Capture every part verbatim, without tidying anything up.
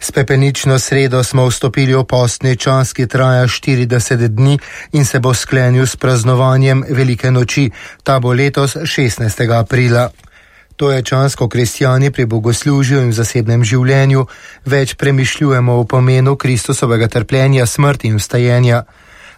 S pepelnično sredo smo vstopili v postni čas, ki traja štirideset dni in se bo sklenil s praznovanjem Velike noči. Ta bo letos šestnajstega aprila. To je čas, ko kristjani pri bogoslužju in v zasebnem življenju več premišljujemo o pomenu Kristusovega trpljenja, smrti in vstajenja.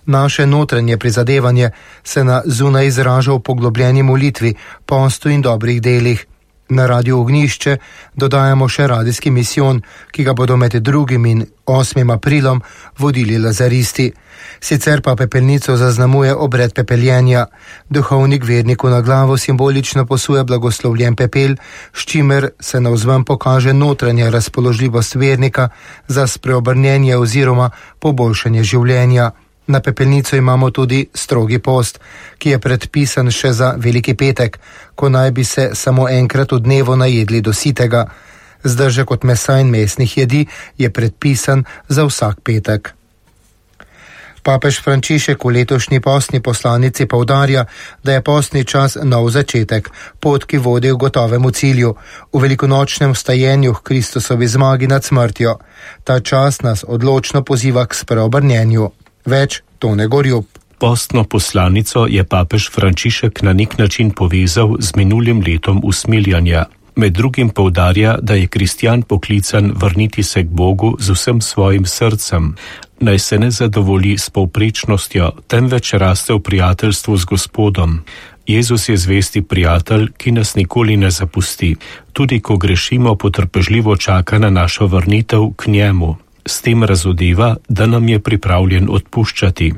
Naše notranje prizadevanje se na zunaj izraža v poglobljeni molitvi, postu in dobrih delih. Na Radio Ognjišče dodajamo še radijski misijon, ki ga bodo med drugim in osmim aprilom vodili lazaristi. Sicer pa pepelnico zaznamuje obred pepeljenja. Duhovnik verniku na glavo simbolično posuje blagoslovljen pepel, s čimer se navzven pokaže notranja razpoložljivost vernika za spreobrnjenje oziroma poboljšanje življenja. Na pepelnico imamo tudi strogi post, ki je predpisan še za Veliki petek, ko naj bi se samo enkrat v dnevu najedli do sitega. Zdržek od mesa in mesnih jedi je predpisan za vsak petek. Papež Frančišek v letošnji postni poslanici poudarja, da je postni čas nov začetek, pot, ki vodi v gotovemu cilju, v velikonočnem vstajenju k Kristusovi zmagi nad smrtjo. Ta čas nas odločno poziva k spreobrnjenju. Več Tone Gorjup. Postno poslanico je papež Frančišek na nek način povezal z minulim letom usmiljanja. Med drugim poudarja, da je kristjan poklican vrniti se k Bogu z vsem svojim srcem, naj se ne zadovolji s povprečnostjo, temveč raste v prijateljstvu z Gospodom. Jezus je zvesti prijatelj, ki nas nikoli ne zapusti. Tudi ko grešimo, potrpežljivo čaka na našo vrnitev k njemu. S tem razodeva, da nam je pripravljen odpuščati.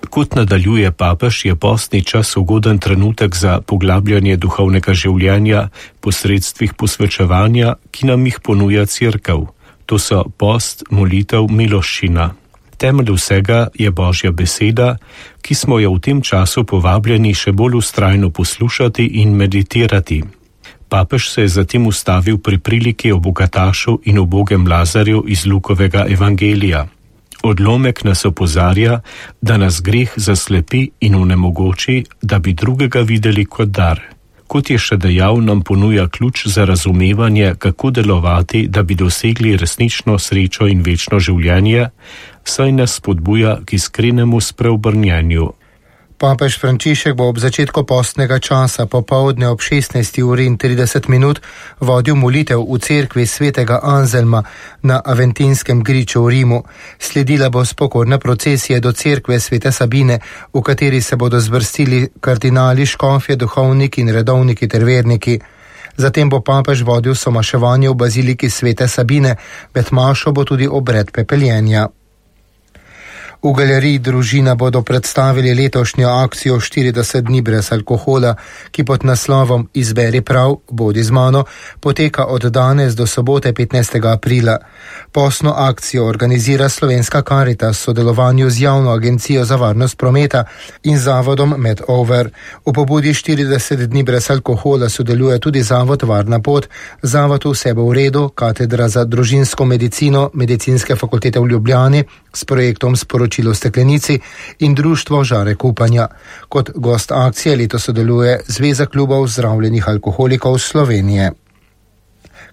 Kot nadaljuje papež, je postni čas ugoden trenutek za poglabljanje duhovnega življenja posredstvih posvečevanja, ki nam jih ponuja Cerkev. To so post, molitev, miloščina. Temelj vsega je Božja beseda, ki smo jo v tem času povabljeni še bolj vztrajno poslušati in meditirati. Papež se je zatem ustavil pri priliki o bogatašu in ubogem Lazarju iz Lukovega evangelija. Odlomek nas opozarja, da nas greh zaslepi in onemogoči, da bi drugega videli kot dar. Kot je še dejal, nam ponuja ključ za razumevanje, kako delovati, da bi dosegli resnično srečo in večno življenje, saj nas spodbuja k iskrenemu spreobrnjenju. Papež Frančišek bo ob začetku postnega časa popoldne ob šestnajsti uri in trideset minut vodil molitev v cerkvi svetega Anzelma na Aventinskem griču v Rimu. Sledila bo spokorna procesija do cerkve svete Sabine, v kateri se bodo zvrstili kardinali, škofje, duhovniki in redovniki ter verniki. Zatem bo papež vodil somaševanje v baziliki svete Sabine, med mašo bo tudi obred pepeljenja. V galeriji Družina bodo predstavili letošnjo akcijo štirideset dni brez alkohola, ki pod naslovom Izberi prav, bodi z mano, poteka od danes do sobote petnajstega aprila. Postno akcijo organizira Slovenska Karitas v sodelovanju z Javno agencijo za varnost prometa in zavodom Medover. V pobudi štirideset dni brez alkohola sodeluje tudi zavod Varna pot, zavod Vse bo v redu, katedra za družinsko medicino Medicinske fakultete v Ljubljani s projektom Sporočilo v steklenici in društvo Žarek upanja. Kot gost akcije letos sodeluje Zveza klubov zdravljenih alkoholikov Slovenije.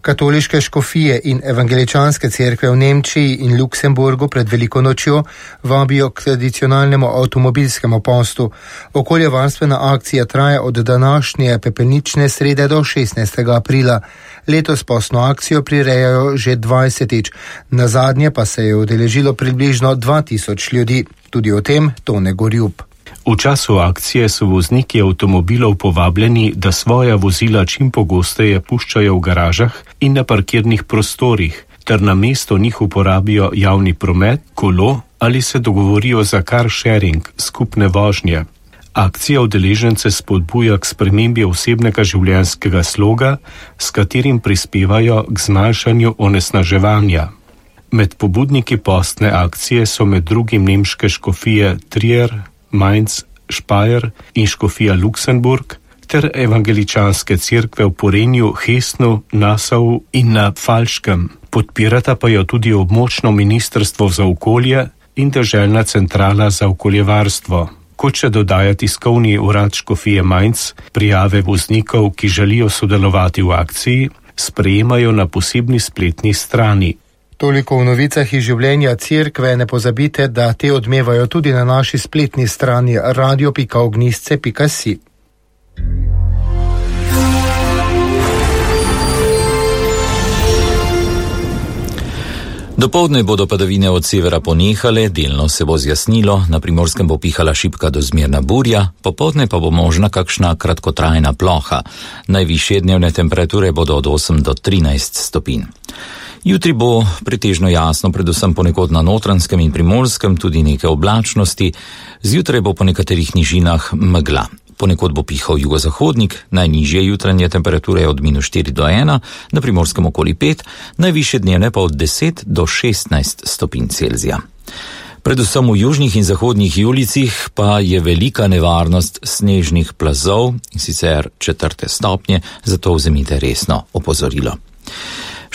Katoliške škofije in evangeličanske cerkve v Nemčiji in Luksemburgu pred Veliko nočjo vabijo k tradicionalnemu avtomobilskemu postu. Okoljevarstvena akcija traja od današnje pepelnične srede do šestnajstega aprila. Letos postno akcijo prirejajo že dvajsetič, nazadnje pa se je udeležilo približno dva tisoč ljudi. Tudi o tem Tone Gorjup. V času akcije so vozniki avtomobilov povabljeni, da svoja vozila čim pogosteje puščajo v garažah in na parkirnih prostorih, ter na mesto njih uporabijo javni promet, kolo ali se dogovorijo za car sharing, skupne vožnje. Akcija udeležence spodbuja k spremembi osebnega življenjskega sloga, s katerim prispevajo k zmanjšanju onesnaževanja. Med pobudniki postne akcije so med drugim nemške škofije Trier, Mainz, Speyer in škofija Luksemburg ter evangeličanske cerkve v Porenju, Hesnu, Nassau in na Falškem. Podpirata pa jo tudi območno ministrstvo za okolje in deželna centrala za okoljevarstvo. Kot še dodaja tiskovni urad škofije Mainz, prijave voznikov, ki želijo sodelovati v akciji, sprejemajo na posebni spletni strani. Toliko v novicah iz življenja cerkve, ne pozabite, da te odmevajo tudi na naši spletni strani radio pika ognjišče pika si. Dopoldne bodo padavine od severa ponehale, delno se bo zjasnilo, na Primorskem bo pihala šibka do zmerna burja, popoldne pa bo možna kakšna kratkotrajna ploha. Najvišje dnevne temperature bodo od osem do trinajst stopinj. Jutri bo pretežno jasno, predvsem ponekod na Notranjskem in Primorskem, tudi nekaj oblačnosti, zjutraj bo po nekaterih nižinah megla. Ponekod bo pihal jugozahodnik, najnižje jutranje temperature od minus štiri do ena, na Primorskem okoli pet, najvišje dnevne pa od deset do šestnajst stopinj Celzija. Predvsem v južnih in zahodnih julicih pa je velika nevarnost snežnih plazov, in sicer četrte stopnje, zato vzemite resno opozorilo.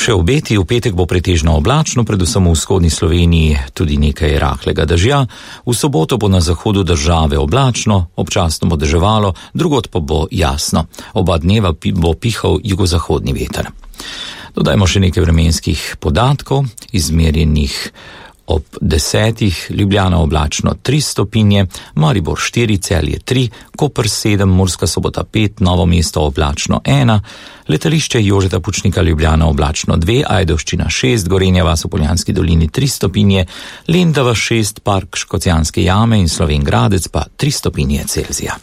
Še obeti, v petek bo pretežno oblačno, predvsem v vzhodni Sloveniji tudi nekaj rahlega dežja, v soboto bo na zahodu države oblačno, občasno bo deževalo, drugod pa bo jasno. Oba dneva bo pihal jugozahodni veter. Dodajmo še nekaj vremenskih podatkov, izmerjenih ob desetih, Ljubljana oblačno tri stopinje, Maribor štiri, Celje tri, Koper sedem, Murska Sobota pet, Novo mesto oblačno ena, letališče Jožeta Pučnika Ljubljana oblačno dve, Ajdovščina šest, Gorenja vas v Poljanski dolini tri stopinje, Lendava šest, Park Škocjanske jame in Slovenj Gradec pa tri stopinje Celzija.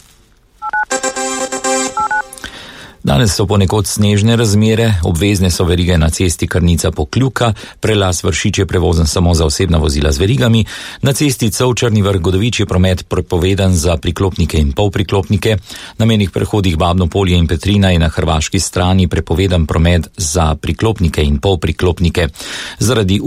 Danes so ponekod snežne razmere, obvezne so verige na cesti Krnica-Pokljuka, prelaz Vršič je prevozen samo za osebna vozila z verigami, na cesti Covčarni Vrh-Godovič je promet prepovedan za priklopnike in polpriklopnike, na mejnih prehodih Babno Polje in Petrina je na hrvaški strani prepovedan promet za priklopnike in polpriklopnike. Zaradi